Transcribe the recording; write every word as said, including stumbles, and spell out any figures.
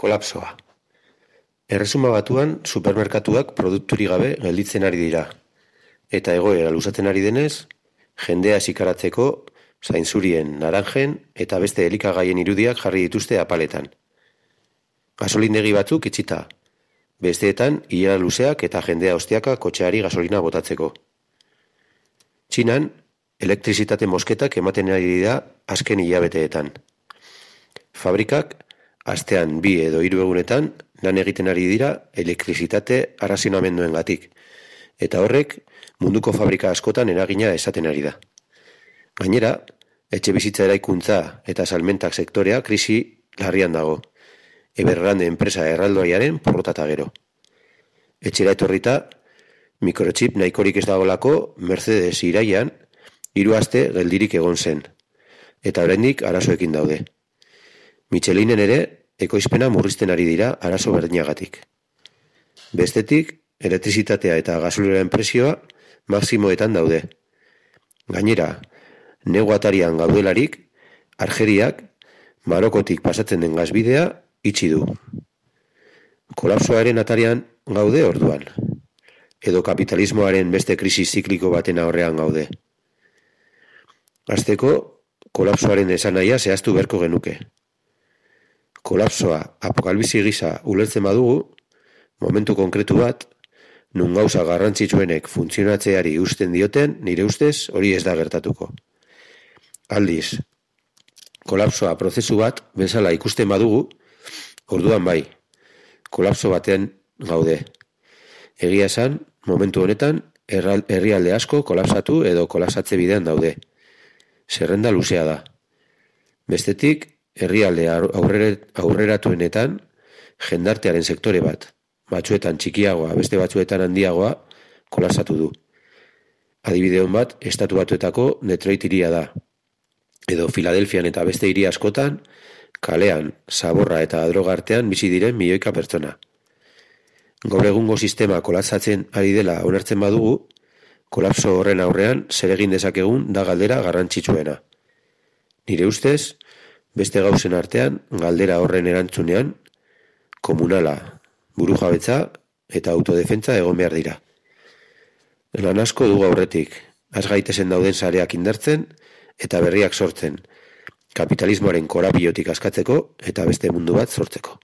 Kolapsoa. Erresuma Batuan supermerkatuak produkturi gabe gelditzen ari dira. Eta egoera luzatzen ari denez, jendea zikaratzeko zainzurien, naranjen eta beste elikagaien irudiak jarri dituzte apaletan. Gasolindegi batzuk itxita. Besteetan, ilara luzeak eta jendea ostiaka kotxeari gasolina botatzeko. Txinan, elektrizitate mosketak ematen ari dira azken hilabeteetan. Fabrikak, astean bi edo hiru egunetan, lan egiten ari dira elektrizitate arrazionamenduengatik, eta horrek munduko fabrika askotan eragina esaten ari da. Gainera, etxebizitza eraikuntza eta salmentak sektorea krisi larrian dago, Evergrande enpresa erraldoiaren porrotata gero. Etxera etorrita, mikrochip nahikorik ez dagolako Mercedes iraian hiru aste geldirik egon zen, eta oraindik arazoekin daude. Michelinen ere, ekoizpena murrizten ari dira arazo berdinagatik. Bestetik, elektrizitatea eta gasolioaren prezioa maximoetan daude. Gainera, negu atarian gaudelarik, Argeriak Marokotik pasatzen den gazbidea itxi du. Kolapsoaren atarian gaude orduan, edo kapitalismoaren beste krisi zikliko baten aurrean gaude. Hasteko, kolapsoaren esanahia zehaztu beharko genuke. Kolapsoa apokalipsi gisa ulertzen badugu, momentu konkretu bat, nun gauza garrantzitsuenek funtzionatzeari uzten dioten, nire ustez hori ez da gertatuko. Aldiz, kolapsoa prozesu bat bezala ikusten badugu, orduan bai, kolapso batean gaude. Egia esan, momentu honetan, herrialde asko kolapsatu edo kolapsatze bidean daude. Zerrenda luzea da. Bestetik, herrialde aurreratuenetan jendartearen sektore bat, batzuetan txikiagoa, beste batzuetan handiagoa, kolapsatu du. Adibide hon bat, estatu batuetako Detroit hiria da. Edo Filadelfian eta beste hiri askotan, kalean, zaborra eta droga artean bizi diren milioika pertsona. Gaur egungo sistema kolapsatzen ari dela onartzen badugu, kolapso horren aurrean zer egin dezakegun da galdera garrantzitsuena. Nire ustez, beste gauzen artean, galdera horren erantzunean, komunala, burujabetza eta autodefentza egon behar dira. Lan asko dugu aurretik, has gaitezen dauden sareak indartzen eta berriak sortzen, kapitalismoaren korapilotik askatzeko eta beste mundu bat sortzeko.